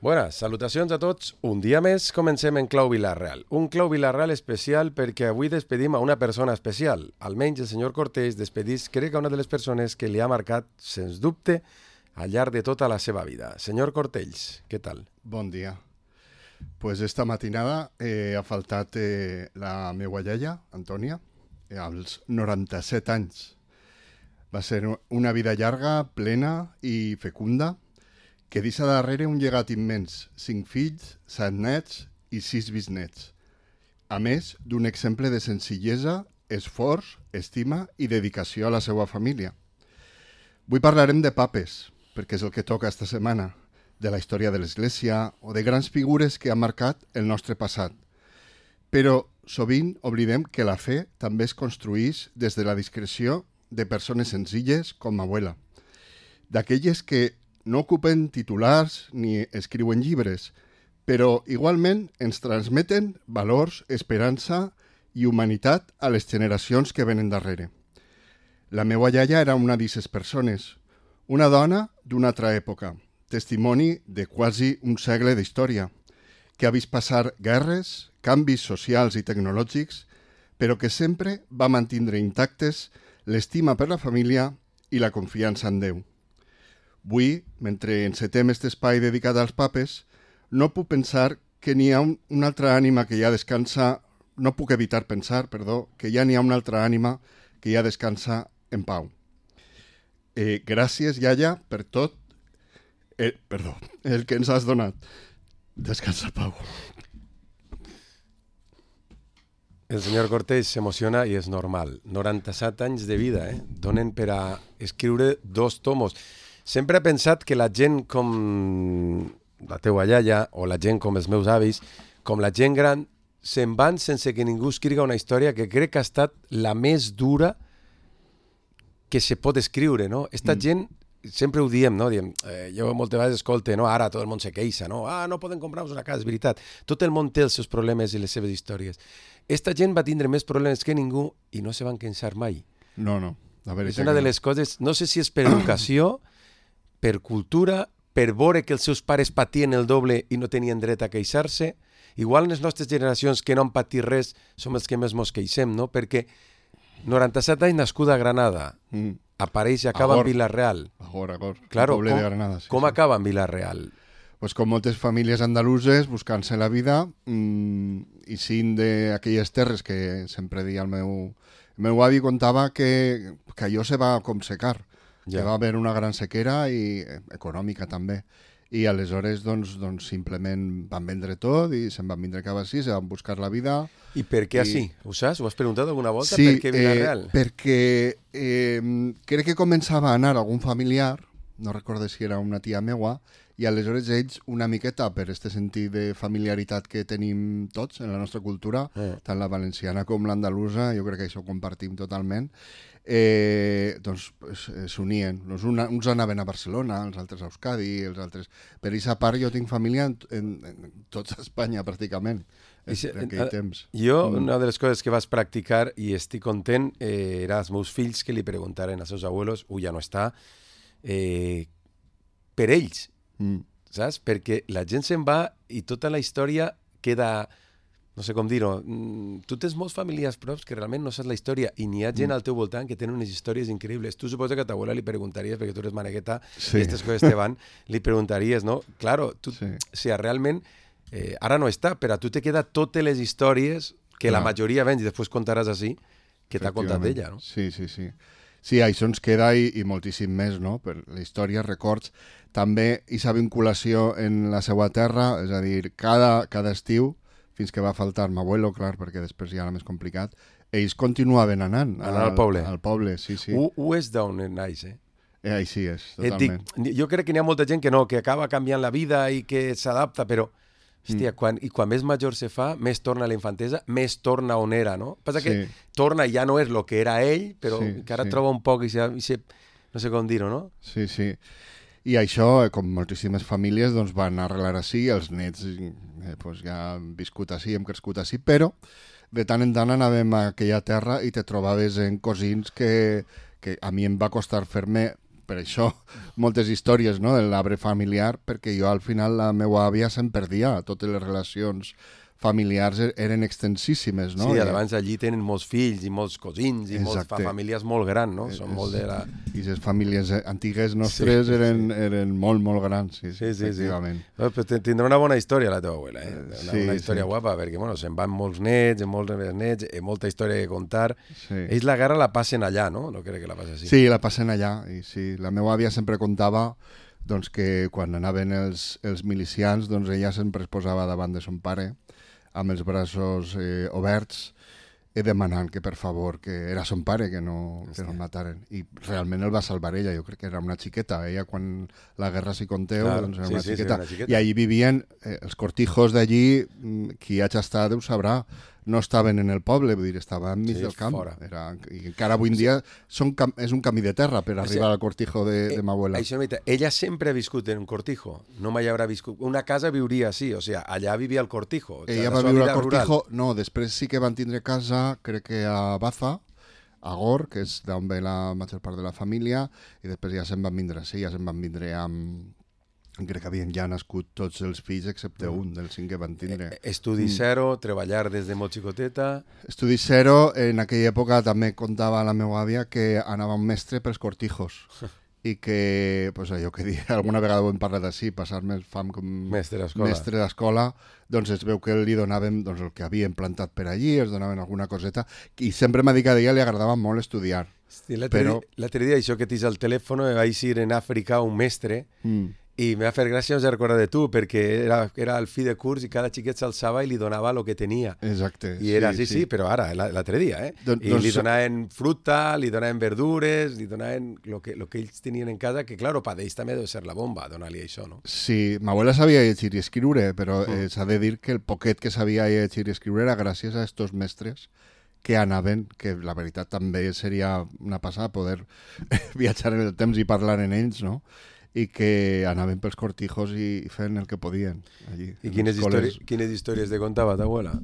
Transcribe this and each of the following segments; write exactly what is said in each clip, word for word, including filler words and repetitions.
Buenas, salutacions a tots. Un dia més comencem en Clau Vila-real. Un Clau Vila-real especial perquè avui despedim a una persona especial. Almenys el senyor Cortells despedís, crec, a una de les persones que li ha marcat, sens dubte, al llarg de tota la seva vida. Senyor Cortells, què tal? Bon dia. Pues esta matinada eh, ha faltat eh, la meua iaia, Antònia, eh, als noranta-set anys. Va ser una vida llarga, plena i fecunda, que deixa darrere un llegat immens, cinc fills, set nets i sis bisnets. A més d'un exemple de senzillesa, esforç, estima i dedicació a la seva família. Avui parlarem de papes, perquè és el que toca esta setmana, de la història de l'Església o de grans figures que han marcat el nostre passat. Però sovint oblidem que la fe també es construïx des de la discreció de persones senzilles com abuela, d'aquelles que no ocupen titulars ni escriuen llibres, però igualment ens transmeten valors, esperança i humanitat a les generacions que venen darrere. La meua iaia era una d'aquestes persones, una dona d'una altra època, testimoni de quasi un segle d'història, que ha vist passar guerres, canvis socials i tecnològics, però que sempre va mantindre intactes l'estima per la família i la confiança en Déu. Avui, mentre encetem aquest espai dedicat als papes, no puc pensar que n'hi ha un, una altra ànima que ja descansa, no puc evitar pensar, perdó, que ja n'hi ha una altra ànima que ja descansa en pau. Eh, gràcies, iaia, per tot, eh, perdó, el que ens has donat. Descansa, Pau. El senyor Cortells s'emociona i és normal. noranta-set anys de vida, eh? Donen per a escriure dos tomos. Sempre he pensat que la gent com la teua iaia o la gent com els meus avis, com la gent gran, se'n van sense que ningú escriga una història que crec que ha estat la més dura que se pot escriure, no? Esta mm. gent, sempre ho diem, no? Diem, eh, jo moltes vegades escolte, no? Ara tot el món se queixa, no? Ah, no poden comprar-nos una casa, és veritat. Tot el món té els seus problemes i les seves històries. Esta gent va tindre més problemes que ningú i no se van queixar mai. No, no. A veure, és una de les coses, no sé si és per educació, per cultura, per veure que els seus pares patien el doble i no tenien dret a queixar-se. Igual les nostres generacions que no han patit res som els que més mos queixem, no? Perquè noranta-set anys nascuda a Granada, mm. apareix i acaba Agor. en Vila-real. Agor, Agor. Claro, poble com, de Granada, sí, com sí. acaba en Vila-real? Pues com moltes famílies andaluses buscant-se la vida mmm, i sent d'aquelles terres que sempre deia el meu... El meu avi contava que, que allò se va com secar, ja. que va haver una gran sequera i econòmica també. I aleshores doncs, doncs simplement van vendre tot i se'n van vindre cap així, se van buscar la vida. I per què així? Ho saps? Ho has preguntat alguna volta? Sí, per què Vila-real? Eh, perquè eh, crec que començava a anar algun familiar, no recordo si era una tia meua, i aleshores ells una miqueta per aquest sentit de familiaritat que tenim tots en la nostra cultura, eh. tant la valenciana com l'andalusa, jo crec que això ho compartim totalment, eh, doncs s'unien. Doncs una, uns anaven a Barcelona, els altres a Euskadi, els altres... Per aquesta part jo tinc família en, en, en tota Espanya pràcticament, en, si, en aquell en, temps. Jo, mm. una de les coses que vas practicar i estic content eh, era els meus fills que li preguntaren als seus abuelos, ui, ja no està, eh, per ells. Mm. Saps? Perquè la gent se'n va i tota la història queda, no sé com dir-ho, mm, tu tens molts familiars props que realment no saps la història i n'hi ha gent mm. al teu voltant que tenen unes històries increïbles. Tu suposa que a ta abuela li preguntaries, perquè tu eres manegueta sí. i aquestes coses te van, li preguntaries, no? Claro, tu, sí. si realment eh, ara no està, però a tu te queda totes les històries que Clar. la majoria vens i després contaràs així que t'ha contat ella, no? Sí, sí, sí. Sí, això ens queda i, i moltíssim més, no? Per la història, records, també aquesta vinculació en la seva terra, és a dir, cada, cada estiu, fins que va faltar m'abuelo, clar, perquè després ja era més complicat, ells continuaven anant. Anar al, al poble. Al poble, sí, sí. Ho, ho és d'on naix, eh? eh? Així és, totalment. Dic, jo crec que n'hi ha molta gent que no, que acaba canviant la vida i que s'adapta, però... Hòstia, mm. quan, i quan més major se fa, més torna a la infantesa, més torna on era, no? Passa sí. que torna i ja no és el que era ell, però sí, encara sí. troba un poc i se, i se, no sé com dir-ho, no? Sí, sí. I això, com moltíssimes famílies, doncs van arrelar així, els nets eh, pues ja han viscut així, hem crescut així, però de tant en tant anàvem a aquella terra i te trobaves en cosins que, que a mi em va costar fer-me per això moltes històries, no?, de l'arbre familiar, perquè jo al final la meva àvia se'n perdia, totes les relacions familiars eren extensíssimes, no? Sí, I, abans allí tenen molts fills i molts cosins i molts, fa famílies molt grans, no? Són molt de la... I les famílies antigues nostres sí, eren, sí. eren molt, molt grans, sí, sí, sí, efectivament. Sí. No, però tindrà una bona història la teva abuela, eh? Una, sí, una història sí. guapa, perquè bueno, se'n van molts nets, molts nets, molta història que contar. Sí. Ells la guerra la passen allà, no? No crec que la passen així. Sí, la passen allà. I sí, la meva àvia sempre contava doncs, que quan anaven els, els milicians, doncs ella sempre es posava davant de son pare amb els braços eh, oberts i demanant que per favor, que era son pare, que no, que no el mataren. I realment el va salvar ella, jo crec que era una xiqueta. Ella quan la guerra s'hi conteu, claro, doncs era sí, una, sí, xiqueta. Sí, una xiqueta. I allí vivien, eh, els cortijos d'allí, qui hagi estat ho sabrà, no estaven en el poble, vull dir, estaven enmig sí, del camp. Era, I encara avui en dia són, és un camí de terra per arribar al cortijo de, de ma abuela. Això, ella sempre ha viscut en un cortijo, no mai haurà viscut... Una casa viuria així, o sigui, allà vivia al cortijo. O sigui, ella va viure al cortijo, rural. No, després sí que van tindre casa, crec que a Baza, a Gor, que és d'on ve la major part de la família, i després ja se'n van vindre, sí, ja se'n van vindre amb... Crec que havien ja nascut tots els fills excepte un, dels cinc que van tindre. Estudi zero, mm. treballar des de molt xicoteta... Estudi zero, en aquella època també contava la meva àvia que anava un mestre pels cortijos i que, pues allò que dia, alguna vegada ho hem parlat així, passar-me fam com mestre d'escola, doncs es veu que li donàvem doncs, el que havien plantat per allí, es donaven alguna coseta, i sempre m'ha dit que a ella li agradava molt estudiar. Sí, l'altre però... dia, això que tens al telèfon, vaig ir en Àfrica un mestre, mm. i m'ha fet gràcia, no sé recordar de tu, perquè era, era el fi de curs i cada xiquet s'alçava i li donava el que tenia. Exacte. I era, sí, sí, sí, sí però ara, l'altre dia, eh? Don, I doncs... li donaven fruta, li donaven verdures, li donaven el que, lo que ells tenien en casa, que, claro, per ells també deu ser la bomba, donar-li això, no? Sí, ma abuela sabia llegir i escriure, però mm. eh, s'ha de dir que el poquet que sabia llegir i escriure era gràcies a estos mestres que anaven, que la veritat també seria una passada poder viatjar en el temps i parlar en ells, no? I que anaven pels cortijos i feien el que podien allí. I quines, històries, quines històries te contava ta abuela?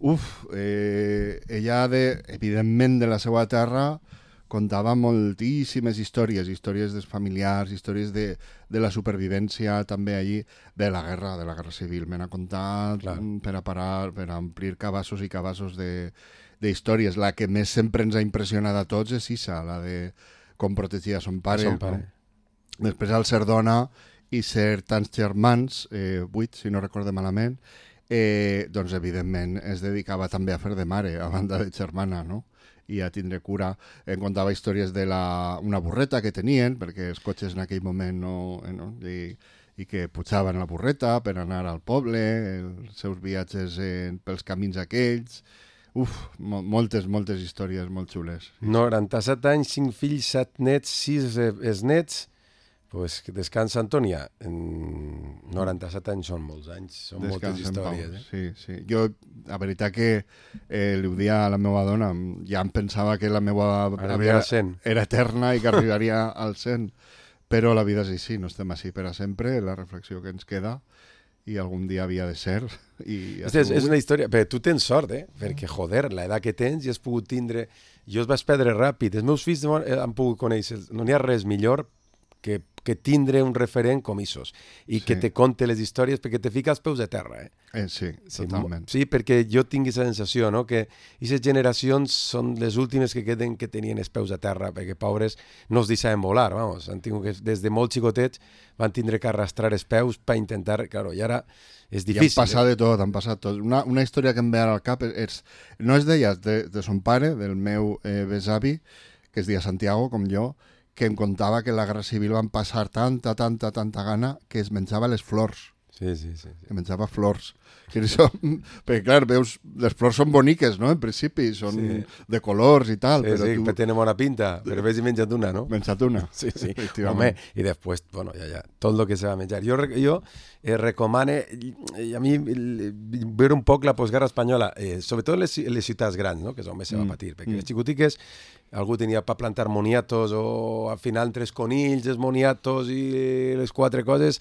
Uf, eh, ella, de, evidentment, de la seva terra, contava moltíssimes històries, històries dels familiars, històries de, de la supervivència també allí, de la guerra, de la guerra civil. Me n'ha contat Clar. per a parar, per a omplir cabassos i cabassos de, de històries. La que més sempre ens ha impressionat a tots és Isa, la de com protegia son pare. Son pare. No? Després al ser dona i ser tants germans, eh, vuit si no recorde malament, eh, doncs evidentment es dedicava també a fer de mare, a banda de germana, no? I a tindre cura. Em contava històries de la, una burreta que tenien, perquè els cotxes en aquell moment no... no? I, i que pujaven a la burreta per anar al poble, els seus viatges en, pels camins aquells... Uf, mo moltes, moltes històries molt xules. noranta-set anys, cinc fills, set nets, sis es nets... Pues que descansa, Antònia. En noranta-set anys són molts anys, són descansa moltes històries. Eh? Sí, sí. Jo, la veritat que eh, li ho dia a la meva dona, ja em pensava que la meva vida era eterna i que arribaria al cent, però la vida és així, no estem així per a sempre, la reflexió que ens queda, i algun dia havia de ser. I és, és una història, però tu tens sort, eh? Perquè, joder, l'edat que tens i has pogut tindre... Jo es vaig perdre ràpid, els meus fills han pogut conèixer, no n'hi ha res millor que, que tindre un referent com Isos i sí. que te conte les històries perquè te fica els peus a terra. Eh? Eh, sí, totalment. Sí, perquè jo tinc aquesta sensació, no? que aquestes generacions són les últimes que queden que tenien els peus a terra, perquè pobres no es deixaven volar, vamos. Han tingut que, des de molt xicotets van tindre que arrastrar els peus per intentar, claro, i ara és difícil. I han passat eh? de tot, han passat tot. Una, una història que em ve ara al cap és, és no és d'ella, de, de son pare, del meu eh, besavi, que es deia Santiago, com jo, que em contava que la Guerra Civil van passar tanta, tanta, tanta gana que es menjava les flors. Sí, sí, sí. sí. Que menjava flors. Que això, perquè, clar, veus, les flors són boniques, no?, en principi, són sí. de colors i tal. Sí, però sí, tu... que tenen bona pinta, però ves i menja't una, no? Menja't una. Sí, sí. Home, i després, bueno, ja, ja, tot el que se va menjar. Jo, jo eh, recomane, a mi, veure un poc la postguerra espanyola, eh, sobretot les, les ciutats grans, no?, que és on més se va patir, perquè mm. les xicotiques algú tenia per plantar moniatos o al final tres conills, els moniatos i les quatre coses,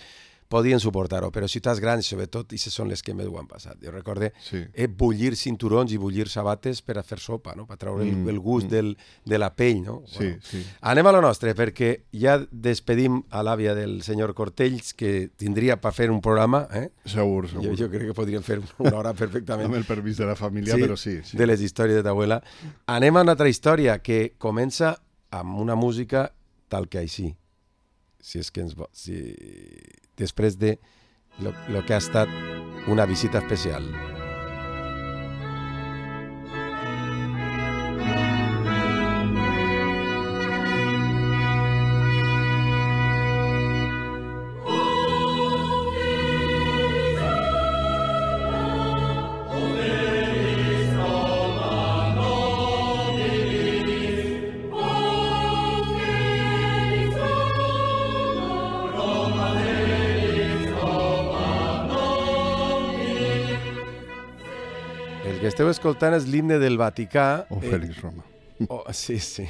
podien suportar-ho, però ciutats grans, sobretot, i són les que més ho han passat. Jo recorde Sí. eh, bullir cinturons i bullir sabates per a fer sopa, no? Per treure el, Mm, el gust mm. del, de la pell, no? Sí, Bueno, sí. anem a lo nostre, perquè ja despedim a l'àvia del senyor Cortells, que tindria per fer un programa, eh? Segur, Jo, segur. jo crec que podríem fer una hora perfectament. Amb el permís de la família, però sí. sí. De les històries de ta abuela. Anem a una altra història que comença amb una música tal que així. Si és que ens... vo- Si... Després de lo, lo que ha estat una visita especial. El que esteu escoltant és l'himne del Vaticà. O Félix Roma. Oh, sí, sí.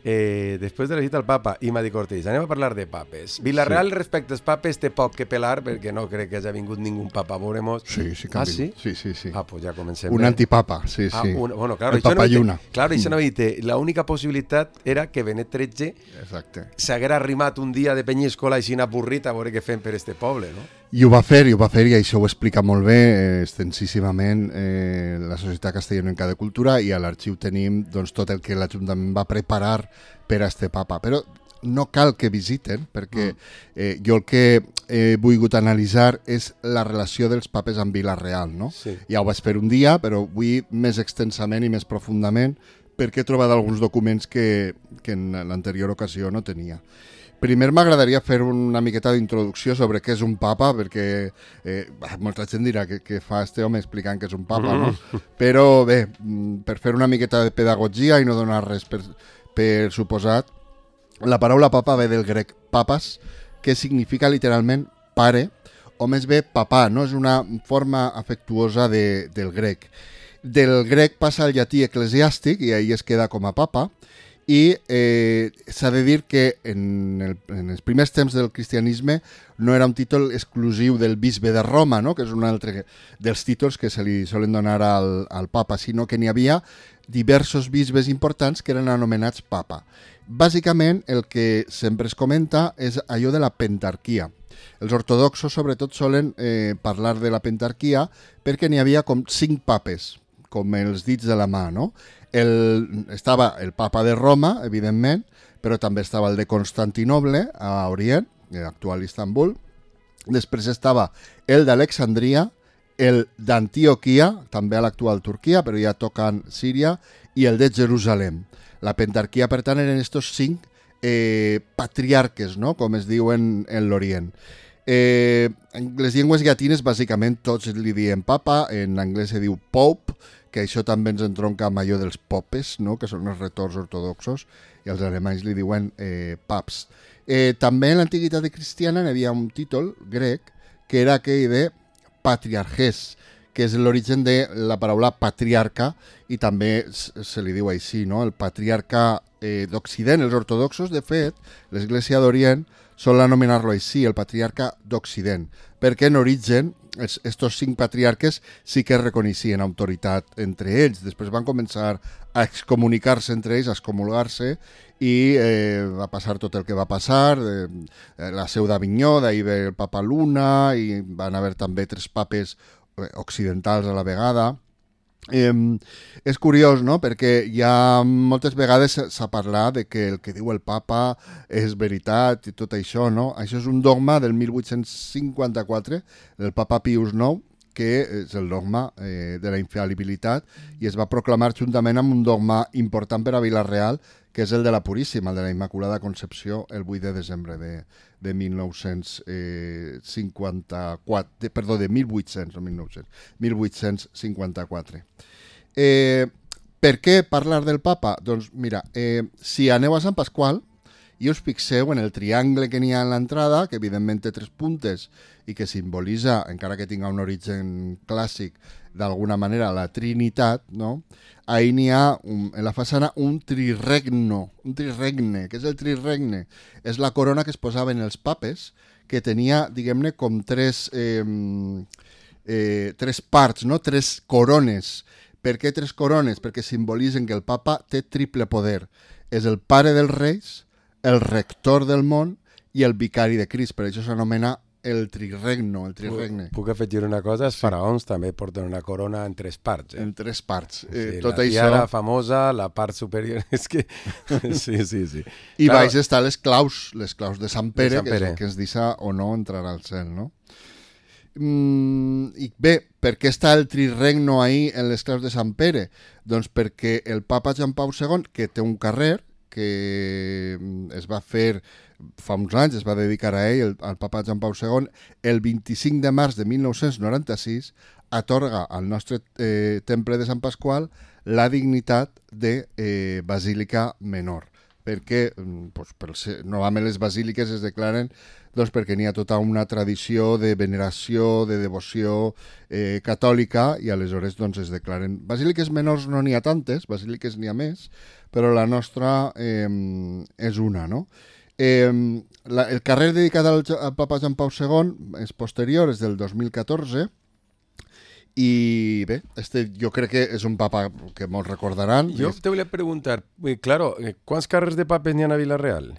Eh, després de la visita al papa i Madi Cortells, anem a parlar de papes. Vilareal, sí. Respecte als papes, té poc que pelar, perquè no crec que hagi vingut ningú papa a veure-mos. Sí, sí que Ah, han sí? vingut. Sí, sí, sí. Ah, pues ja comencem. Un bé. antipapa, sí, Ah, sí. un, bueno, claro, el això no papa evite- Lluna. Claro, això no evite. La única possibilitat era que Benet tretze Exacte. s'haguera arrimat un dia de Penyíscola així avorrit a veure què fem per este poble, no? I ho va fer, i ho va fer, i això ho explica molt bé, eh, extensíssimament, eh, la Societat Castellonenca de Cultura, i a l'arxiu tenim doncs, tot el que l'Ajuntament va preparar per a este papa. Però no cal que visiten, perquè eh, jo el que he volgut analitzar és la relació dels papes amb Vila-real, no? Sí. Ja ho vaig fer un dia, però vull més extensament i més profundament, perquè he trobat alguns documents que, que en l'anterior ocasió no tenia. Primer m'agradaria fer una miqueta d'introducció sobre què és un papa, perquè eh, molta gent dirà que, que fa este home explicant què és un papa, no? Però bé, mm, per fer una miqueta de pedagogia i no donar res per, per suposat, la paraula papa ve del grec papas, que significa literalment pare, o més bé papà, no? És una forma afectuosa de, del grec. Del grec passa al llatí eclesiàstic i ahí es queda com a papa, i eh, s'ha de dir que en, el, en els primers temps del cristianisme no era un títol exclusiu del bisbe de Roma, no? Que és un altre dels títols que se li solen donar al, al papa, sinó que n'hi havia diversos bisbes importants que eren anomenats papa. Bàsicament, el que sempre es comenta és allò de la pentarquia. Els ortodoxos, sobretot, solen eh, parlar de la pentarquia perquè n'hi havia com cinc papes, com els dits de la mà, no? El, estava el papa de Roma, evidentment, però també estava el de Constantinoble, a Orient, l'actual Istanbul. Després estava el d'Alexandria, el d'Antioquia, també a l'actual Turquia, però ja tocant Síria, i el de Jerusalem. La pentarquia, per tant, eren estos cinc eh, patriarques, no? Com es diuen en l'Orient. Eh, en les llengües llatines, bàsicament, tots li diem papa, en anglès se diu pope, que això també ens entronca amb allò dels popes, no? Que són els retors ortodoxos, i els alemanys li diuen eh, paps. Eh, també en l'antiguitat cristiana hi havia un títol grec que era aquell de patriarches, que és l'origen de la paraula patriarca, i també se li diu així, no? El patriarca eh, d'Occident, els ortodoxos, de fet, l'Església d'Orient sol anomenar-lo així, el patriarca d'Occident, perquè en origen estos cinc patriarques sí que reconeixien autoritat entre ells. Després van començar a excomunicar-se entre ells, a excomulgar-se, i eh, va passar tot el que va passar, eh, la seu d'Avinyó, d'ahir ve el papa Luna, i van haver també tres papes occidentals a la vegada. Eh, és curiós, no?, perquè ja moltes vegades s'ha parlat de que el que diu el papa és veritat i tot això, no? Això és un dogma del mil vuit-cents cinquanta-quatre, del papa Pius nou, que és el dogma eh, de la infal·libilitat, i es va proclamar juntament amb un dogma important per a Vila-real, que és el de la Puríssima, el de la Immaculada Concepció, el vuit de desembre de, de mil nou-cents cinquanta-quatre, de, perdó, de mil vuit-cents, no mil nou-cents, mil vuit-cents cinquanta-quatre. Eh, per què parlar del papa? Doncs mira, eh, si aneu a Sant Pasqual, i us fixeu en el triangle que n'hi ha en l'entrada, que evidentment té tres puntes i que simbolitza, encara que tinga un origen clàssic, d'alguna manera la Trinitat, no? Ahí n'hi ha un, en la façana un triregno, un triregne. Què és el triregne? És la corona que es posaven els papes, que tenia, diguem-ne, com tres, eh, eh, tres parts, no? Tres corones. Per què tres corones? Perquè simbolitzen que el papa té triple poder. És el pare dels reis, el rector del món i el vicari de Crist. Per això s'anomena el triregno, el triregne. Puc afegir una cosa, els faraons també porten una corona en tres parts. Eh? En tres parts. Sí, eh, tot la això... tiara famosa, la part superior... És que... Sí, sí, sí. I Claro. baix està les claus, les claus de Sant Pere, De Sant que és Pere. el que ens deixa o no entrar al cel, no? Mm, I bé, per què està el triregno ahí en les claus de Sant Pere? Doncs perquè el papa Joan Pau segon, que té un carrer que es va fer fa uns anys, es va dedicar a ell, el, al papa Joan Pau segon, el vint-i-cinc de març de mil nou-cents noranta-sis atorga al nostre eh, temple de Sant Pasqual la dignitat de eh, basílica menor. Perquè doncs, per ser, normalment les basíliques es declaren doncs, perquè n'hi ha tota una tradició de veneració, de devoció eh, catòlica i aleshores doncs, es declaren. Basíliques menors no n'hi ha tantes, basíliques n'hi ha més, però la nostra eh, és una, no? Eh, la, el carrer dedicat al, al papa Joan Pau segon és posterior, és del dos mil catorze, i bé, este jo crec que és un papa que molts recordaran. Jo és... te volia preguntar, eh, claro, eh, quants carrers de papes n'hi ha a Vila-real?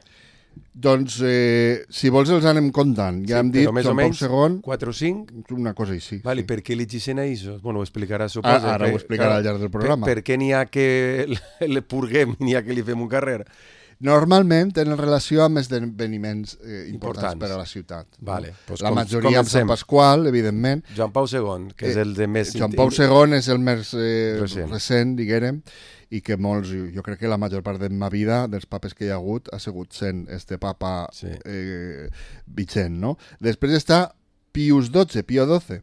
Doncs, eh, si vols els anem comptant. Ja Sí, hem dit però més o Joan Pau menys segon, quatre o cinc? una cosa així. Vale, sí. per què elegeixen a això? Bueno, ho explicarà, Ah, suposo. ara ho explicarà al llarg del programa. Per, per què n'hi ha que le purguem, n'hi ha que li fem un carrer? Normalment tenen relació amb esdeveniments eh, importants, Importants. per a la ciutat. Vale, no? pues la com- majoria amb Sant comencem. Pasqual, evidentment. Joan Pau segon, que és Eh, el de més... Joan Pau segon és el més eh, Recent. recent, diguem, i que molts, jo crec que la major part de ma vida, dels papes que hi ha hagut, ha sigut sent este papa Sí. eh, vigent, no? Després està Pius dotze, Pío doce.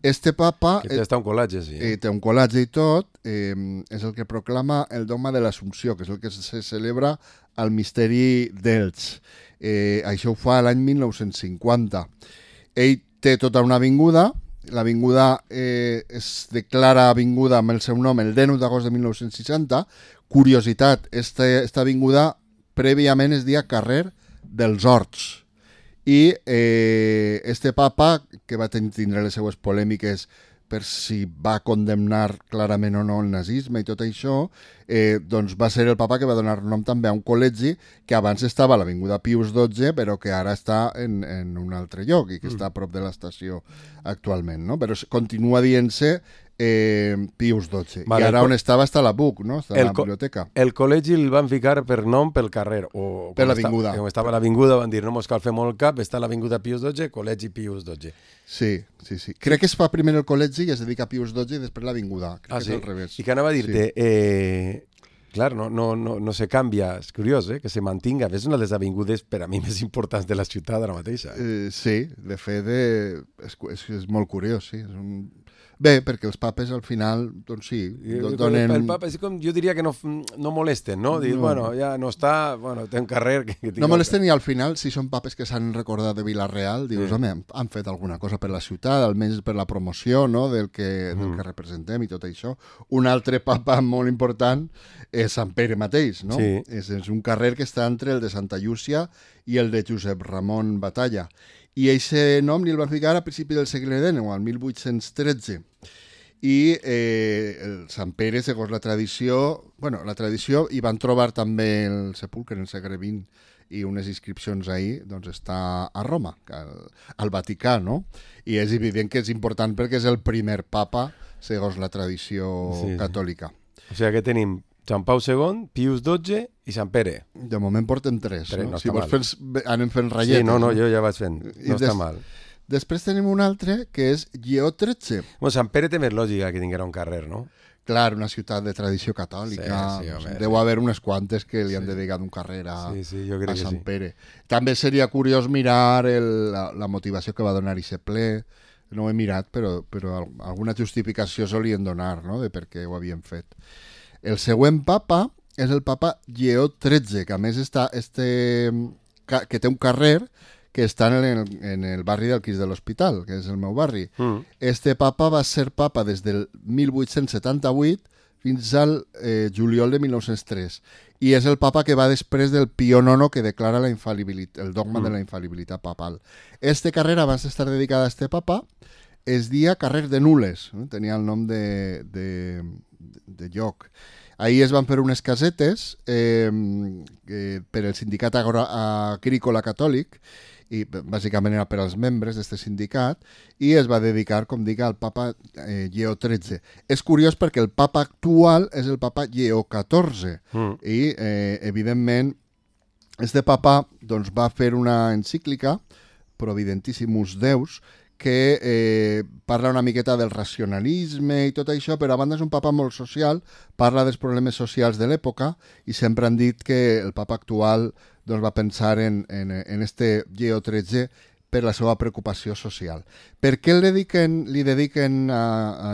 Este papa Que té està un col·latge, sí. eh, té un col·latge i tot, eh, és el que proclama el dogma de l'Assumpció, que és el que se celebra al misteri d'Elx. Eh, això ho fa l'any mil nou-cents cinquanta. Ell té tota una avinguda, l'avinguda eh, es declara avinguda amb el seu nom el dinou d'agost de mil nou-cents seixanta. Curiositat, esta, esta avinguda prèviament es deia carrer dels Horts. I eh, este papa, que va ten- tindre les seues polèmiques per si va condemnar clarament o no el nazisme i tot això, eh, doncs va ser el papa que va donar nom també a un col·legi que abans estava a l'Avinguda Pius dotze, però que ara està en, en un altre lloc i que mm. està a prop de l'estació actualment, no? Però s- continua dient-se eh, Pius dotze. Vale, I ara el co- on estava està la B U C, no? Està a el la co- biblioteca. El col·legi el van ficar per nom pel carrer. O, Per com l'avinguda. Està, com estava l'avinguda, van dir, no mos cal fer molt cap, està l'avinguda Pius dotze, col·legi Pius dotze. Sí, sí, sí. Crec que es fa primer el col·legi i es dedica a Pius dotze i després l'Avinguda. Crec Ah, que sí? és al revés. I que anava a dir-te, sí. eh, clar, no, no, no, no se canvia, és curiós, eh, que se mantinga. És una de les avingudes per a mi més importants de la ciutat ara mateixa. Eh, sí, de fet, eh, és, és, és molt curiós, sí. És un... Bé, perquè els papes al final, doncs sí, do- donen... El papa, és com, jo diria que no, no molesten, no? Dir, No. bueno, ja no està, bueno, té un carrer... Que, que No molesten i al final, si són papes que s'han recordat de Vila-real, dius, Sí. home, han fet alguna cosa per la ciutat, almenys per la promoció, no?, del que, del Mm. que representem i tot això. Un altre papa molt important és Sant Pere mateix, no? Sí. És, és un carrer que està entre el de Santa Llúcia i el de Josep Ramon Batalla. I aquest nom li el van ficar a principi del segle dinou, al mil vuit-cents tretze. I eh, el Sant Pere, segons la tradició, bueno, la tradició, hi van trobar també el sepulcre en el segle vint i unes inscripcions ahí, doncs està a Roma, al, al Vaticà, no? I és evident que és important perquè és el primer papa, segons la tradició Sí, sí. catòlica. O sigui que tenim Joan Pau segon, Pius dotze i Sant Pere. De moment portem tres, Tres, no? no Si està vols mal. fent, anem fent ratlletes. Sí, no, no, jo ja vaig fent. I No està des- mal. Després tenim un altre, que és Lleó tretze. Bueno, Sant Pere té més lògica que tinguera un carrer, no? Clar, una ciutat de tradició catòlica. Sí, sí, home, Deu sí. haver unes quantes que li han Sí. dedicat un carrer a, Sí, sí, jo crec a que Sant sí. Pere. També seria curiós mirar el, la, la motivació que va donar aquest ple. No ho he mirat, però, però al- alguna justificació solien donar, no?, de per què ho havien fet. El següent papa és el papa Lleó tretze, que a més està este, que té un carrer que està en el, en el barri del Crist de l'Hospital, que és el meu barri. Mm. Este papa va ser papa des del mil vuit-cents setanta-vuit fins al eh, juliol de mil nou-cents tres. I és el papa que va després del Pío nono que declara la infal·libilitat, el dogma mm. de la infal·libilitat papal. Este carrer, abans d'estar dedicada a este papa, es dia carrer de Nules, eh? Tenia el nom de, de, de lloc. Ahir es van fer unes casetes eh, eh, per el sindicat agrícola catòlic, i bàsicament era per als membres d'aquest sindicat, i es va dedicar, com dic, al papa eh, Lleó tretze. És curiós perquè el papa actual és el papa Lleó catorze, mm. i eh, evidentment este papa doncs, va fer una encíclica, Providentissimus Deus, que eh, parla una miqueta del racionalisme i tot això, però a banda és un papa molt social, parla dels problemes socials de l'època, i sempre han dit que el papa actual doncs, va pensar en, en, en este Lleó tretze per la seva preocupació social. Per què li dediquen, li dediquen a,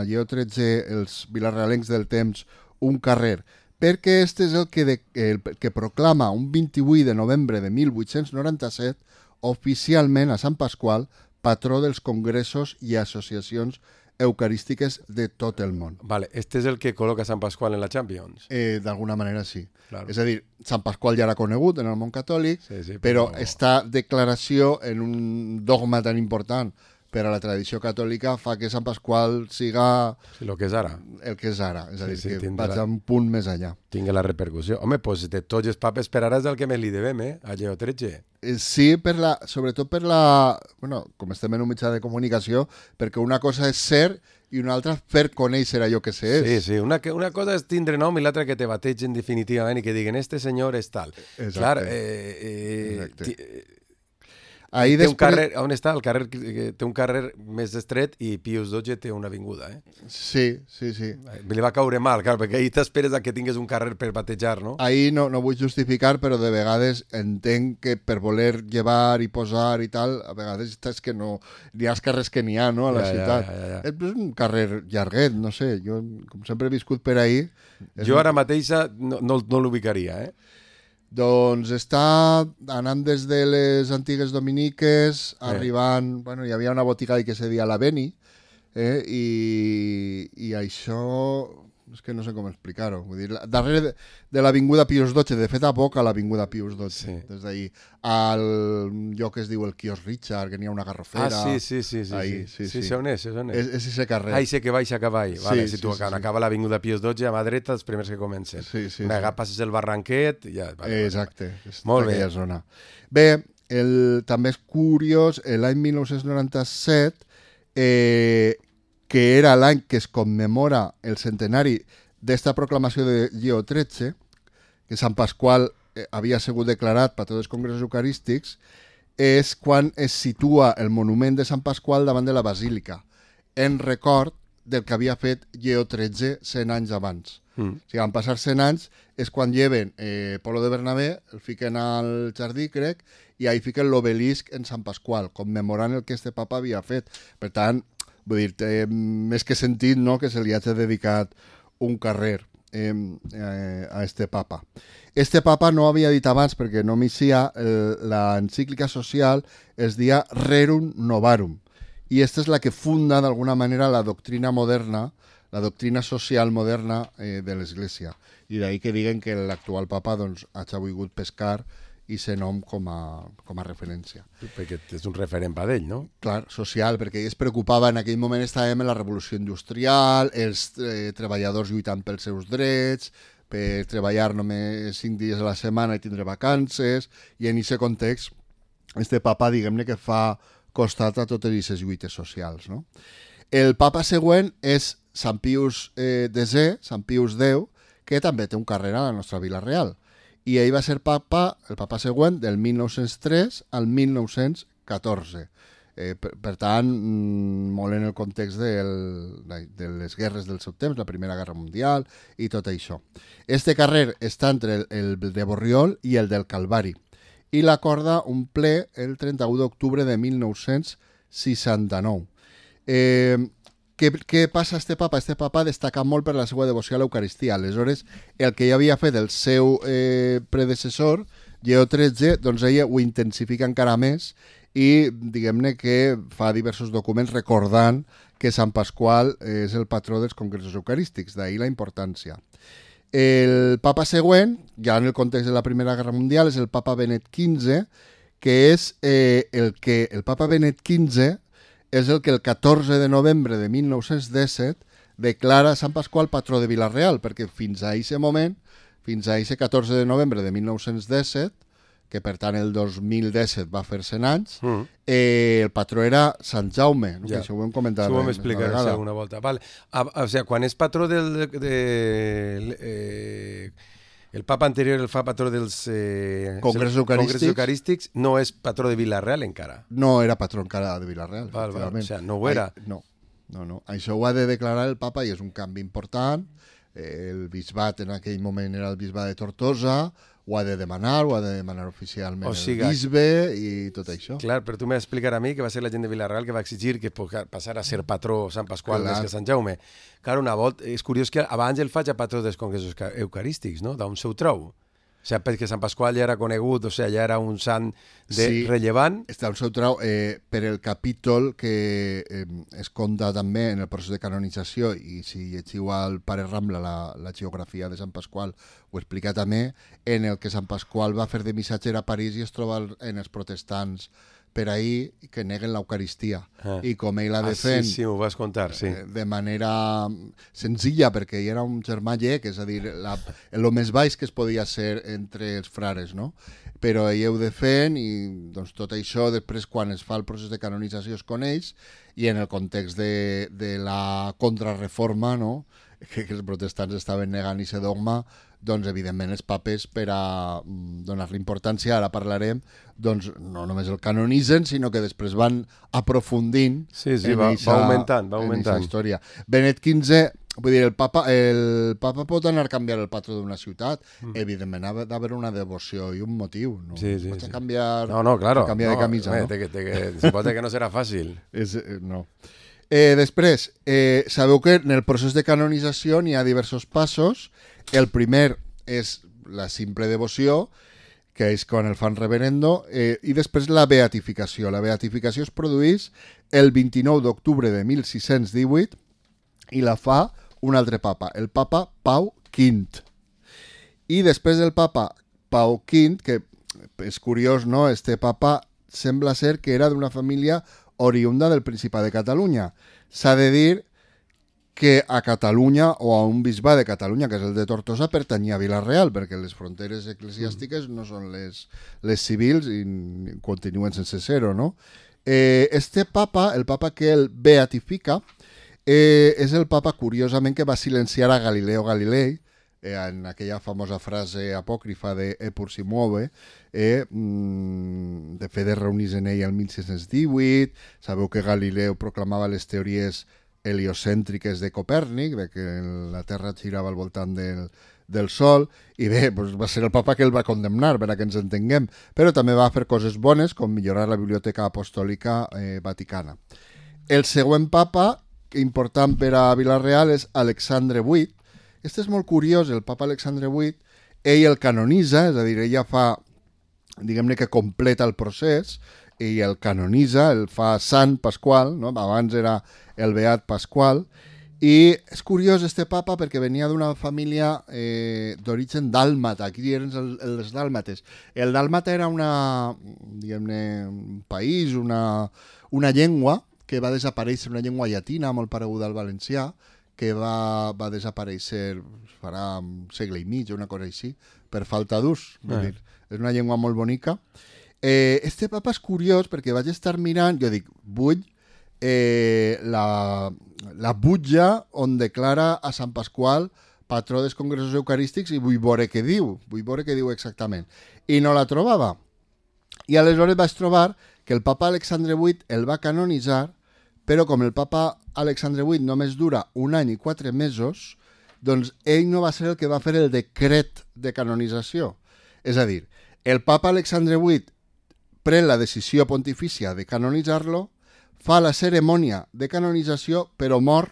a Lleó tretze els vilarealencs del temps un carrer? Perquè este és el que, de, el que proclama un vint-i-vuit de novembre de mil vuit-cents noranta-set oficialment a Sant Pasqual patró dels congressos i associacions eucarístiques de tot el món. Vale, este és el que col·loca Sant Pasqual en la Champions? Eh, D'alguna manera sí. Claro. És a dir, Sant Pasqual ja era conegut en el món catòlic, sí, sí, però, però esta declaració en un dogma tan important per a la tradició catòlica fa que Sant Pasqual siga sí, el que és ara. El que és ara, és a dir, sí, sí, que vaig a un punt més allà. Tinga la repercussió. Home, doncs de tots els papes per ara és el que més li devem, eh? A Lleó tretze. Sí, per la, sobretot per la... Bueno, com estem en un mitjà de comunicació, perquè una cosa és ser i una altra fer conèixer allò que se és. Sí, sí. Una, una cosa és tindre nom i l'altra que te bategen definitivament i que diguen este senyor és tal. Exacte. Clar, eh, eh, Exacte. Ahí té després... un carrer, on està? El carrer té un carrer més estret i Pius dotze té una avinguda, eh? Sí, sí, sí. Li va caure mal, clar, perquè ahir t'esperes a que tingués un carrer per batejar, no? Ahir no, no vull justificar, però de vegades entenc que per voler llevar i posar i tal, a vegades és que no... N'hi ha els carrers que n'hi ha, no?, a la ja, ciutat. Ja, ja, ja. És un carrer llarguet, no sé, jo com sempre he viscut per ahir... Jo ara mateixa no, no, no l'ubicaria, eh? Doncs està anant des de les antigues dominiques, eh. arribant... Bueno, hi havia una botiga que se deia la Beni, eh, i, i això... És que no sé com explicar-ho. Vull dir, darrere de, de l'Avinguda Pius dotze, de fet a poc a l'Avinguda Pius dotze, sí. Des d'ahir. Al lloc que es diu el Quios Richard, que n'hi ha una garrofera... Ah, sí, sí, sí. Sí, ahí, sí, sí, sí. Sí, on és, és on és? És, és ese carrer. Ah, i sé que baixa cavall. Sí, vale, si tu sí, sí, acaba sí. l'Avinguda Pius dotze, a mà dreta, els primers que comencen. Sí, sí, Una sí. passes el barranquet i ja... Vale, exacte. Vale. Molt bé. Zona. Bé, el, també és curiós, l'any mil nou-cents noranta-set, eh, que era l'any que es commemora el centenari d'esta proclamació de Lleó tretze, que Sant Pasqual eh, havia sigut declarat patró dels congressos eucarístics, és quan es situa el monument de Sant Pasqual davant de la basílica, en record del que havia fet Lleó tretze cent anys abans. Mm. O sigui, van passar cent anys, és quan lleven eh, Polo de Bernabé, el fiquen al jardí, crec, i ahí fiquen l'obelisc en Sant Pasqual, commemorant el que este papa havia fet. Per tant, vull dir, té més que sentit, no?, que se li hagi dedicat un carrer eh, eh, a este papa. Este papa no havia dit abans, perquè no m'hicia, l'encíclica social es dia Rerum Novarum, i esta és la que funda d'alguna manera la doctrina moderna, la doctrina social moderna eh, de l'Església. I d'ahir que diguen que l'actual papa doncs, hagi volgut pescar i ser nom com a, com a referència. Perquè és un referent per ell, no? Clar, social, perquè ell es preocupava, en aquell moment estàvem en la revolució industrial, els eh, treballadors lluitant pels seus drets, per treballar només cinc dies a la setmana i tindre vacances, i en aquest context, este papa, diguem-ne, que fa costat a totes aquestes lluites socials, no? El papa següent és Sant Pius eh, desè, Sant Pius deu, que també té un carrer a la nostra Vila Real. I ell va ser papa, el papa següent, del mil nou-cents tres al mil nou-cents catorze. Eh, per, per tant, molt en el context del, de les guerres del seu temps, la Primera Guerra Mundial i tot això. Este carrer està entre el, el de Borriol i el del Calvari. I l'acorda un ple el trenta-u d'octubre de mil nou-cents seixanta-nou. Eh, què, què passa a este papa? Este papa destaca molt per la seva devoció a l'Eucaristia. Aleshores, el que ja havia fet el seu eh, predecessor, Lleó tretze, doncs ella ho intensifica encara més i diguem-ne que fa diversos documents recordant que Sant Pasqual és el patró dels congressos eucarístics, d'ahir la importància. El papa següent, ja en el context de la Primera Guerra Mundial, és el papa Benet quinze, que és eh, el que el papa Benet quinze és el que el catorze de novembre de mil nou-cents disset declara Sant Pasqual patró de Vila-real, perquè fins a aquest moment, fins a aquest catorze de novembre de mil nou-cents disset, que per tant el dos mil disset va fer cent anys, mm. eh, el patró era Sant Jaume, no? Ja. Això ho hem comentat. Això ho hem explicat alguna volta. Vale. A, a, o sigui, quan és patró del... De, de, eh, el papa anterior, el fa patró dels eh, congressos eucarístics. eucarístics, no és patró de Vila-real encara. No era patró encara de Vila-real. Val, val. O sigui, no ho era. Ai, no, no, no. Això ho ha de declarar el papa i és un canvi important. Eh, el bisbat en aquell moment era el bisbat de Tortosa, ho ha de demanar, ho ha de demanar oficialment o sigui, el bisbe i tot això. Clar, però tu m'explicar a mi que va ser la gent de Vila-real que va exigir que passara a ser patró Sant Pasqual clar. Més que Sant Jaume. Clar, una volta, és curiós que abans el faig a patró dels congressos eucarístics, no? D'on seu trou? O sigui, perquè Sant Pasqual ja era conegut, o sigui, ja era un sant de sí, rellevant. Està un seu trau eh, per el capítol que eh, es compta també en el procés de canonització i si llegiu al Pare Rambla la, la geografia de Sant Pasqual ho explica també, en el que Sant Pasqual va fer de missatger a París i es troba en els protestants per ahir que neguen l'Eucaristia ah. i com ell la defèn ah, sí, sí, ho vas contar, sí. de manera senzilla perquè ell era un germà llec, és a dir, la, el més baix que es podia ser entre els frares, no? Però ell ho defèn i doncs, tot això després quan es fa el procés de canonització es coneix i en el context de, de la contrarreforma, no? que, que els protestants estaven negant aquest dogma, doncs evidentment els papes per a donar-li importància, ara parlarem, doncs no només el canonitzen, sinó que després van aprofundint sí, sí, en va, eixa, va augmentant, va augmentant. història. Benet quinze, vull dir, el papa, el papa pot anar a canviar el patró d'una ciutat, mm. evidentment ha d'haver una devoció i un motiu, no? Sí, sí, Pots sí. canviar, no, no, claro, canviar no, de camisa, eh, no? Te, te, te, suposa que no serà fàcil. És, no. Eh, després, eh, sabeu que en el procés de canonització n'hi ha diversos passos. El primer és la simple devoció, que és quan el fan reverendo, eh, i després la beatificació. La beatificació es produeix el vint-i-nou d'octubre de mil sis-cents divuit i la fa un altre papa, el papa Pau quint. I després del papa Pau quint, que és curiós, no? Este papa sembla ser que era d'una família oriunda del Principat de Catalunya. S'ha de dir que a Catalunya o a un bisbat de Catalunya, que és el de Tortosa, pertanyia a Vila-real, perquè les fronteres eclesiàstiques no són les, les civils i continuen sense ser-ho, no? Eh, este papa, el papa que el beatifica, eh, és el papa, curiosament, que va silenciar a Galileo Galilei, eh, en aquella famosa frase apòcrifa de Epur si muove, eh, mm, de fet es reunís en ell el mil sis-cents divuit, sabeu que Galileu proclamava les teories heliocèntriques de Copèrnic, de que la Terra girava al voltant del, del Sol, i bé, doncs va ser el papa que el va condemnar, per a que ens entenguem, però també va fer coses bones, com millorar la biblioteca apostòlica eh, vaticana. El següent papa, important per a Vila-real, és Alexandre vuit. Este és molt curiós, el papa Alexandre vuit, ell el canonitza, és a dir, ella fa, diguem-ne que completa el procés, i el canonitza, el fa Sant Pasqual, no? Abans era el Beat Pasqual, i és curiós este papa perquè venia d'una família eh, d'origen dàlmata, aquí eren els, els dàlmates. El dàlmata era una, diguem-ne, un país, una, una llengua que va desaparèixer, una llengua llatina molt pareguda al valencià, que va, va desaparèixer farà un segle i mig, una cosa així, per falta d'ús. Eh. És una llengua molt bonica. Eh, este papa és curiós perquè vaig estar mirant, jo dic, vull eh, la, la butlla on declara a Sant Pasqual patró dels congressos eucarístics i vull veure què diu, vull veure què diu exactament. I no la trobava. I aleshores vaig trobar que el papa Alexandre vuit el va canonitzar, però com el papa Alexandre vuit només dura un any i quatre mesos, doncs ell no va ser el que va fer el decret de canonització. És a dir, el papa Alexandre vuit pren la decisió pontifícia de canonitzar-lo, fa la cerimònia de canonització, però mor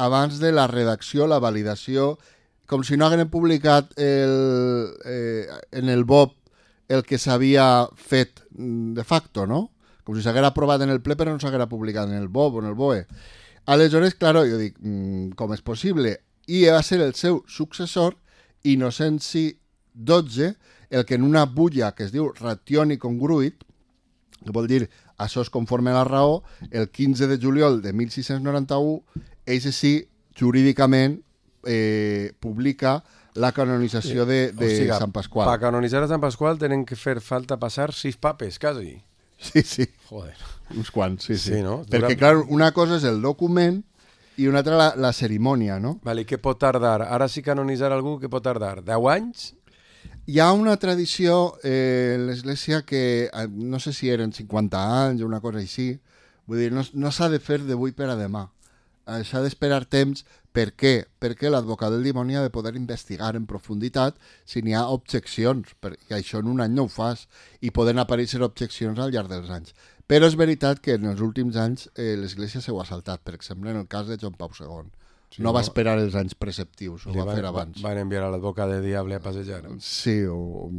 abans de la redacció, la validació, com si no hagueren publicat el, eh, en el B O P el que s'havia fet de facto, no? Com si s'haguera aprovat en el ple però no s'haguera publicat en el B O P o en el B O E. Aleshores, claro, jo dic, com és possible? I va ser el seu successor, Innocenci dotze, el que en una bulla que es diu Rationi Congruit, que vol dir això és conforme a la raó, el quinze de juliol de mil sis-cents noranta-u, ell sí, jurídicament, eh, publica la canonització de, de o sigui, Sant Pasqual. Per canonitzar a Sant Pasqual tenen que fer falta passar sis papes, quasi. Sí, sí. Joder. Uns quants, sí, sí. Sí, no? Perquè, Dura... clar, una cosa és el document i una altra la, la cerimònia, no? Vale, què pot tardar? Ara si canonitzar algú, què pot tardar? deu anys? Hi ha una tradició eh, en l'Església que, no sé si eren cinquanta anys o una cosa així, vull dir, no, no s'ha de fer d'avui per a demà. Eh, s'ha d'esperar temps. Per què? Perquè l'advocat del dimoni ha de poder investigar en profunditat si n'hi ha objeccions, perquè això en un any no ho fas, i poden aparèixer objeccions al llarg dels anys. Però és veritat que en els últims anys eh, l'Església s'ho ha saltat, per exemple, en el cas de Joan Pau segon. Sí, no, no va esperar els anys preceptius, ho va van, fer abans. Van enviar a l'advocat de diable a passejar. Sí, o,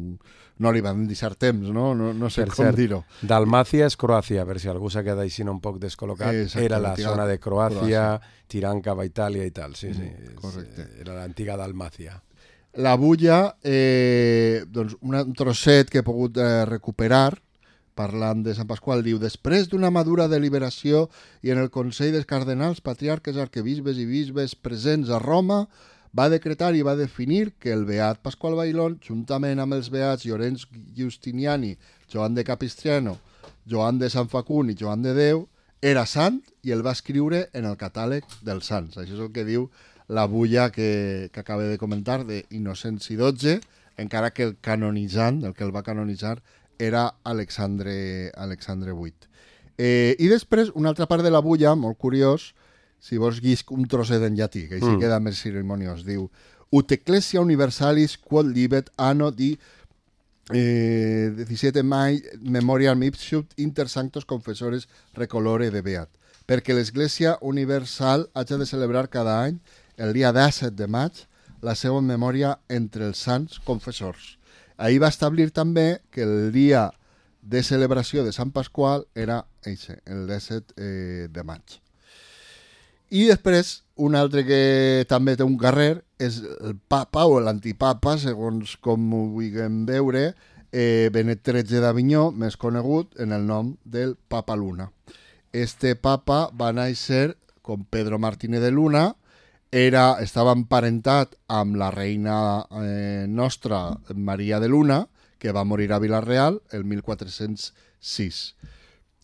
no li van deixar temps, no? No, no sé per com cert, dir-ho. Dalmàcia és Croàcia, per si algú s'ha quedat així un poc descol·locat. Exacte, era la zona de Croàcia, Croàcia, tirant cap a Itàlia i tal. Sí, sí. Mm, correcte. És, era l'antiga Dalmàcia. La bulla, eh, doncs un trosset que he pogut eh, recuperar, parlant de Sant Pasqual, diu: després d'una madura deliberació i en el Consell dels Cardenals, Patriarques, Arquebisbes i Bisbes presents a Roma, va decretar i va definir que el beat Pasqual Bailón, juntament amb els beats Llorenç Giustiniani, Joan de Capistrano, Joan de Sant Facun i Joan de Déu, era sant i el va escriure en el catàleg dels sants. Això és el que diu la bulla que, que acaba de comentar de Innocenci dotze, encara que el canonitzant, el que el va canonitzar, era Alexandre, Alexandre vuit. Eh, I després, una altra part de la bulla, molt curiós, si vols guisc un trosset en llatí, que així mm. queda més cerimoniós, diu: Ut ecclesia universalis quod libet anno di eh, disset mai memoriam ipsut inter sanctos confessores recolore de beat. Perquè l'Església Universal hagi de celebrar cada any, el dia disset de maig, la seva memòria entre els sants confessors. Ahir va establir també que el dia de celebració de Sant Pasqual era eixe, el disset eh, de maig. I després, un altre que també té un carrer és el papa o l'antipapa, segons com ho vulguem veure, eh, Benet tretze d'Avinyó, més conegut en el nom del Papa Luna. Este papa va néixer com Pedro Martínez de Luna, Era, estava emparentat amb la reina eh, nostra, Maria de Luna, que va morir a Vila-real el mil quatre-cents sis.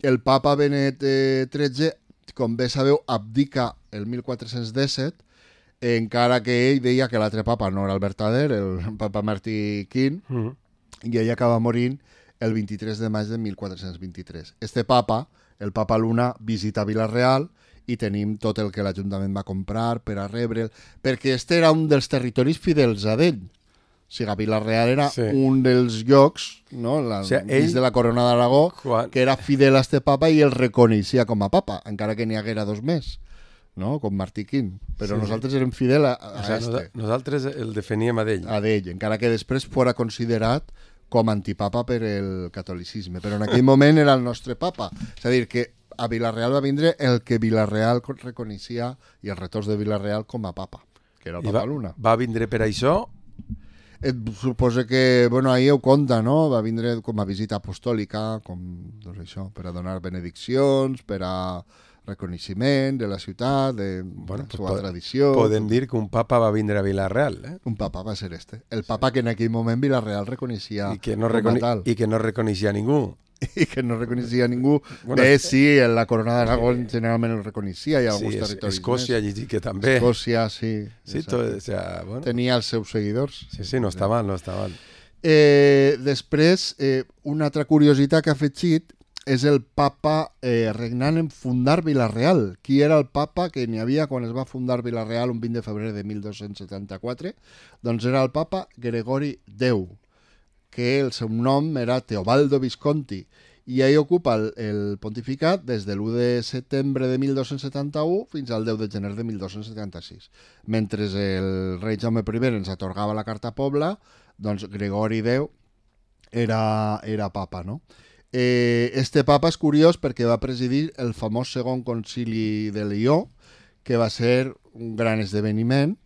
El papa Benet eh, tretze, com bé sabeu, abdica el mil quatre-cents disset, encara que ell deia que l'altre papa no era el verdader, el papa Martí Quint, mm. i ell acaba morint el vint-i-tres de maig de mil quatre-cents vint-i-tres. Este papa, el papa Luna, visita Vila-real, i tenim tot el que l'Ajuntament va comprar per a rebre'l, perquè este era un dels territoris fidels a d'ell. O sigui, Vila-real era sí. un dels llocs, no? La, o sigui, ell, de la Corona d'Aragó, quan... que era fidel a este papa i el reconeixia com a papa, encara que n'hi haguera dos més, no? Com Martí Quint. Però sí, nosaltres sí. érem fidel a, a o sigui, este. Nosaltres el definíem a d'ell. A d'ell, encara que després fora considerat com antipapa per el catolicisme. Però en aquell moment era el nostre papa. És a dir, que a Vila-real va vindre el que Vila-real reconeixia i els retorns de Vila-real com a papa, que era el papa va, Luna. Va vindre per això? Et suposo que, bueno, ahir ho conta, no? Va vindre com a visita apostòlica, com, doncs això, per a donar benediccions, per a reconeixement de la ciutat, de bueno, la seva tradició. Podem dir que un papa va vindre a Vila-real, eh? Un papa va ser este. El papa sí. que en aquell moment Vila-real reconeixia I que no, recone tal. I que no reconeixia ningú. I que no reconeixia ningú. Bueno, Bé, sí, en la Corona d'Aragó sí. generalment el reconeixia, i alguns sí, territoris Escòcia, més. Escòcia, que també. Escòcia, sí. Sí, tot, o sea, bueno. Tenia els seus seguidors. Sí, sí, no està mal, no està mal. Eh, després, eh, una altra curiositat que ha fet Xit és el papa eh, regnant en fundar Vila-real. Qui era el papa que n'hi havia quan es va fundar Vila-real un vint de febrer de mil dos-cents setanta-quatre? Doncs era el papa Gregori Déu, que el seu nom era Teobaldo Visconti, i ell ocupa el, el pontificat des de l'u de setembre de mil dos-cents setanta-u fins al deu de gener de mil dos-cents setanta-sis. Mentre el rei Jaume primer ens atorgava la carta pobla, doncs Gregori deu era, era papa, no? Eh, este papa és curiós perquè va presidir el famós segon concili de Lió, que va ser un gran esdeveniment,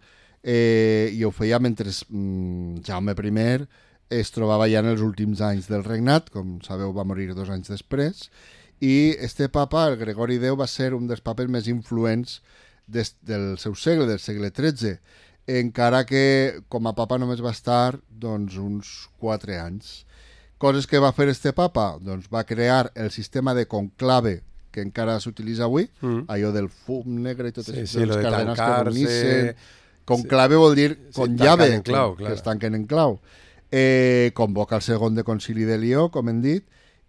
eh, i ho feia mentre mm, Jaume primer es trobava ja en els últims anys del regnat, com sabeu va morir dos anys després, i este papa, el Gregori deu, va ser un dels papes més influents des, del seu segle, del segle tretze, encara que com a papa només va estar doncs, uns quatre anys. Coses que va fer este papa? Doncs va crear el sistema de conclave que encara s'utilitza avui, mm. allò del fum negre i tot sí, això, sí, les de cadenes que reunixen. Conclave sí. vol dir con sí, llave, clau, que, clar. que es tanquen en clau. Eh, convoca el segon de concili de Lió, com hem dit,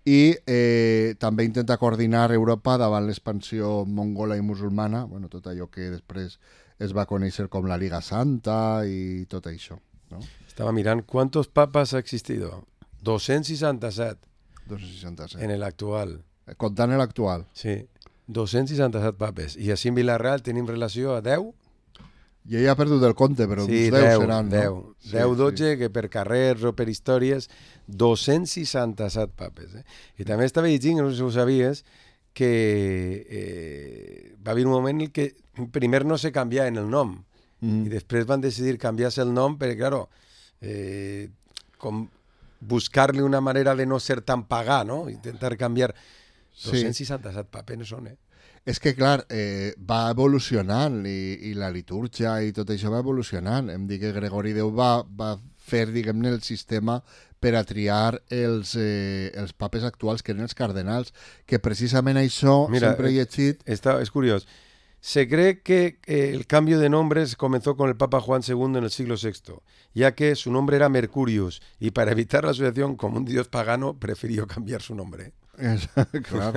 i eh, també intenta coordinar Europa davant l'expansió mongola i musulmana, bueno, tot allò que després es va conèixer com la Liga Santa i tot això. ¿No? Estaba mirando cuántos papas ha existido. doscientos sesenta y siete. doscientos sesenta y siete. En el actual. Comptant l'actual. Sí. doscientos sesenta y siete papes. I així en Vilareal tenim relació a deu? Jo ja he perdut el compte, però sí, uns deu, deu seran, deu. no? Sí, deu, dotze, sí. que per carrers o per històries, doscientos sesenta y siete papes. Eh? I també estava llegint, no sé si ho sabies, que eh, va haver un moment en què primer no se canviava en el nom, mm. i després van decidir canviar-se el nom perquè, claro, eh, com buscar-li una manera de no ser tan pagà, no? Intentar canviar. doscientos sesenta y siete papes no són, eh? És que, clar, eh, va evolucionant i, i la litúrgia i tot això va evolucionant. Em dic que Gregori deu va, va fer, diguem-ne, el sistema per a triar els, eh, els papes actuals, que eren els cardenals, que precisament això Mira, sempre he llegit... Está, es curioso. Se cree que eh, el cambio de nombres comenzó con el Papa Juan segundo en el siglo sexto, ya que su nombre era Mercurius y para evitar la asociación con un dios pagano prefirió cambiar su nombre. Clar,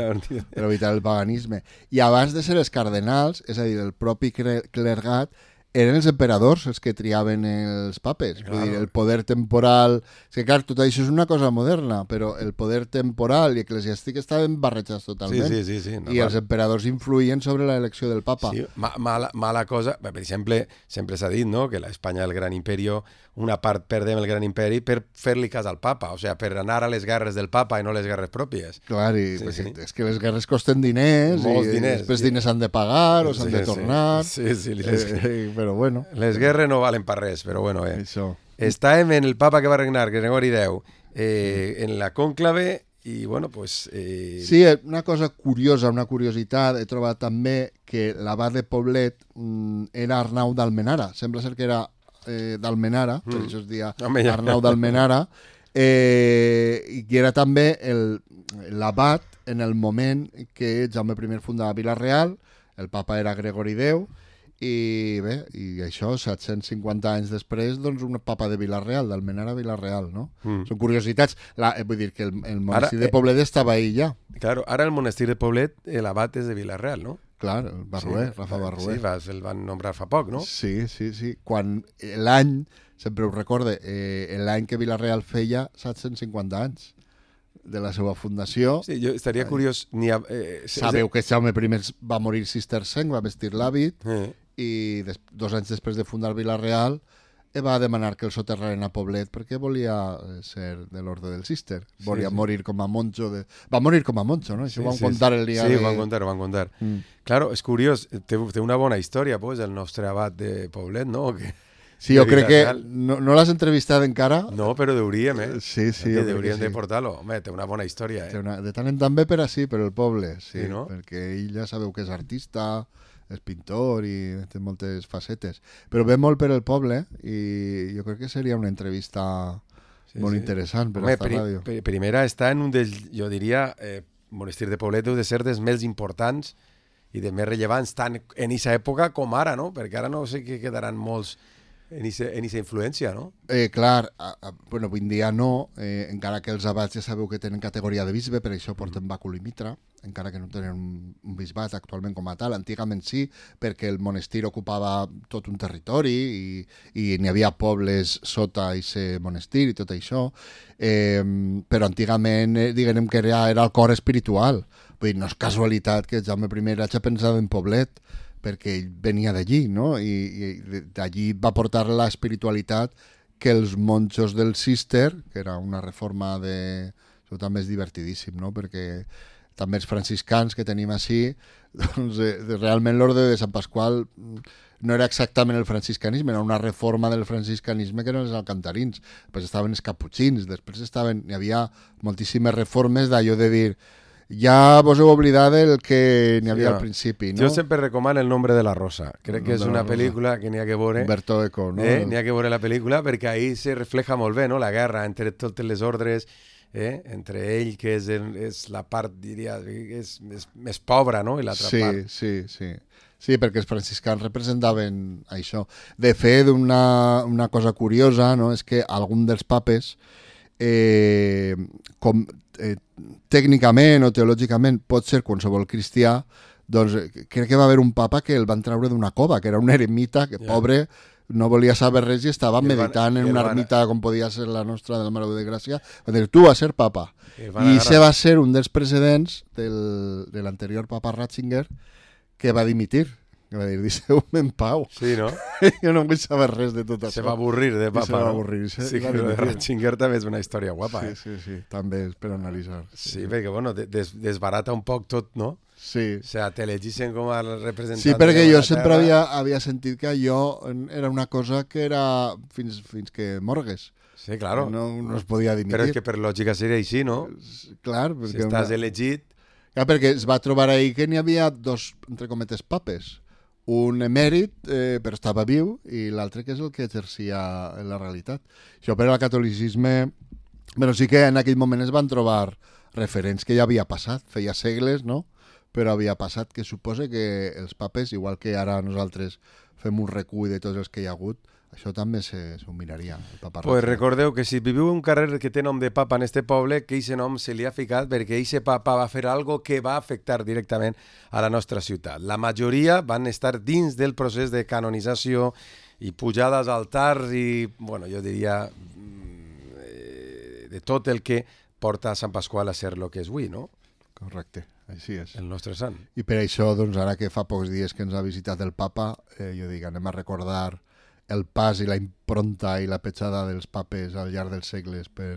per evitar el paganisme. I abans de ser els cardenals, és a dir, el propi clergat, eren els emperadors els que triaven els papes. Claro. Vull dir, el poder temporal... És que, clar, tot això és una cosa moderna, però el poder temporal i eclesiàstic estaven barrejats totalment. Sí, sí, sí, sí, no, I els emperadors influïen sobre l'elecció del papa. Sí, ma mala, mala cosa... Per exemple, sempre s'ha dit, no?, que l'Espanya, el gran imperio, una part perdem el gran imperi per fer-li cas al papa, o sigui, per anar a les guerres del papa i no les guerres pròpies. Clar, i sí, pues, sí. és que les guerres costen diners, molts i diners, després sí. diners s'han de pagar o s'han sí, de tornar. Sí, sí, sí les... eh, però bueno. Les guerres no valen per res, però bueno, eh. Això. Estàvem en el papa que va regnar, Gregori deu, eh, en la cònclave i, bueno, pues... Eh... Sí, una cosa curiosa, una curiositat, he trobat també que l'abat de Poblet mm, era Arnau d'Almenara. Sembla ser que era eh, d'Almenara, mm. per això es dia Home, ja. Arnau d'Almenara, eh, i que era també l'abat en el moment que Jaume primer fundava Vila-real, el papa era Gregori deu, i bé, i això, set-cents cinquanta anys després, doncs un papa de Vila-real, d'Almenara a Vila-real, no? Mm. Són curiositats. La, eh, vull dir que el, el monestir ara, de Poblet eh, estava ahí ja. Claro, ara el monestir de Poblet, l'abat és de Vila-real, no? Clar, el Barruer, sí, Rafa Barruer. Sí, va, el van nombrar fa poc, no? Sí, sí, sí. Quan l'any, sempre ho recorde, eh, l'any que Vila-real feia set-cents cinquanta anys de la seva fundació. Sí, jo estaria Ai. curiós... Ni a, eh, Sabeu que Jaume primer va morir cistercenc, va vestir l'hàbit, eh. i des, dos anys després de fundar Vila-real va demanar que el soterraren a Poblet perquè volia ser de l'ordre del cister. Volia sí, sí. morir com a monjo. De... Va morir com a monjo, no? Això sí, ho van sí, contar el dia sí, de... Sí, ho van contar, ho van contar. Mm. Claro, és curiós, té, té una bona història, pues, el nostre abat de Poblet, no? Que... Sí, jo crec que no, no l'has entrevistat encara. No, però hauríem, eh? Sí, sí. Que hauríem sí. de portar-lo. Home, té una bona història, eh? Una, de tant en tant bé per així, per el poble, sí, sí no? Perquè ell ja sabeu que és artista, és pintor i té moltes facetes. Però ve molt per el poble i jo crec que seria una entrevista sí, molt sí. interessant per Home, a esta pri ràdio. Pri primera està en un dels, jo diria, eh, Monestir de Poblet deu de ser dels més importants i de més rellevants tant en aquesta època com ara, no? Perquè ara no sé que quedaran molts en aquesta influència, no? Eh, clar, a, a, bueno, avui en dia no, eh, encara que els abats ja sabeu que tenen categoria de bisbe, per això porten bàcul i mitra, encara que no tenen un, un bisbat actualment com a tal. Antigament sí, perquè el monestir ocupava tot un territori i, i n'hi havia pobles sota aquest monestir i tot això, eh, però antigament eh, diguem que era, era el cor espiritual. Vull dir, no és casualitat que Jaume I hagi pensat en Poblet, perquè ell venia d'allí, no? I, i d'allí va portar la espiritualitat que els monjos del Cister, que era una reforma de... Això també és divertidíssim, no? Perquè també els franciscans que tenim així, doncs, eh, realment l'orde de Sant Pasqual no era exactament el franciscanisme, era una reforma del franciscanisme que eren els alcantarins. Després estaven els caputxins, després estaven... Hi havia moltíssimes reformes d'allò de dir ja vos heu oblidat del que n'hi havia sí, no. al principi, no? Jo sempre recomano El nombre de la rosa. Crec que és una pel·lícula que n'hi ha que veure. Humberto Eco, no? Eh? N'hi ha que veure la pel·lícula perquè ahí se refleja molt bé, no? La guerra entre totes les ordres, eh? Entre ell, que és, el, és la part, diria, és més, més pobra, no? I l'altra sí, part. Sí, sí, sí, perquè els franciscans representaven això. De fet, una, una cosa curiosa, no? És que algun dels papes eh, com, eh, tècnicament o teològicament pot ser qualsevol cristià, doncs crec que va haver un papa que el van treure d'una cova, que era un eremita, que yeah. pobre, no volia saber res i estava meditant van, en una van... ermita com podia ser la nostra del Mare de Gràcia. Va dir, tu vas ser papa. I això va ser un dels precedents del, de l'anterior papa Ratzinger que va dimitir. Que va dir, deixeu-me en pau. Sí, no? Jo no vull saber res de tot això. Se va avorrir de papa, se va no? avorrir. Se sí, que de Ratzinger també és una història guapa, sí, eh? Sí, sí, també és per analitzar. Sí, sí perquè, bueno, des, desbarata un poc tot, no? Sí. O sea, te elegeixen com a representant... Sí, perquè jo sempre havia, havia sentit que allò era una cosa que era fins, fins que morgues. Sí, claro. No, no es podia dimitir. Però és que per lògica seria així, no? Clar. Si estàs una... elegit... Clar, perquè es va trobar ahí que n'hi havia dos, entre cometes, papes. Un emèrit, eh, però estava viu, i l'altre que és el que exercia en la realitat. Això per al catolicisme... Però sí que en aquell moment es van trobar referents que ja havia passat, feia segles, no? Però havia passat, que suposa que els papes, igual que ara nosaltres fem un recull de tots els que hi ha hagut, això també s'ho miraria. Pues recordeu que si viviu un carrer que té nom de papa en este poble, que aquest nom se li ha ficat perquè aquest papa va fer algo que va afectar directament a la nostra ciutat. La majoria van estar dins del procés de canonització i pujades als altars i, bueno, jo diria, de tot el que porta a Sant Pasqual a ser el que és avui, no? Correcte. Així és. El nostre sant. I per això, doncs, ara que fa pocs dies que ens ha visitat el papa, eh, jo dic, anem a recordar el pas i la impronta i la petjada dels papes al llarg dels segles per,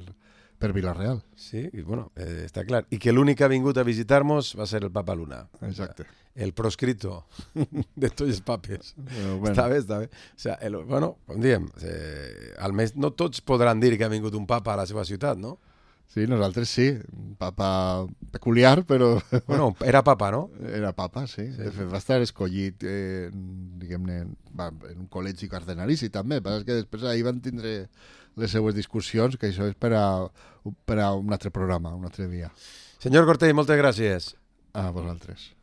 per Vila-real. Sí, i bueno, eh, està clar. I que l'únic que ha vingut a visitar-nos va ser el papa Luna. Exacte. El proscrito de tots els papes. Bueno, bueno. Està bé, està bé. O sea, el, bueno, com diem, eh, almenys no tots podran dir que ha vingut un papa a la seva ciutat, no? Sí, nosaltres sí. Un papa peculiar, però... Bueno, era papa, no? Era papa, sí. sí. De fet, va estar escollit, eh, diguem-ne, en un col·legi cardenalici també. Però és que després ahir van tindre les seues discussions, que això és per a, per a un altre programa, un altre dia. Senyor Cortell, moltes gràcies. A vosaltres.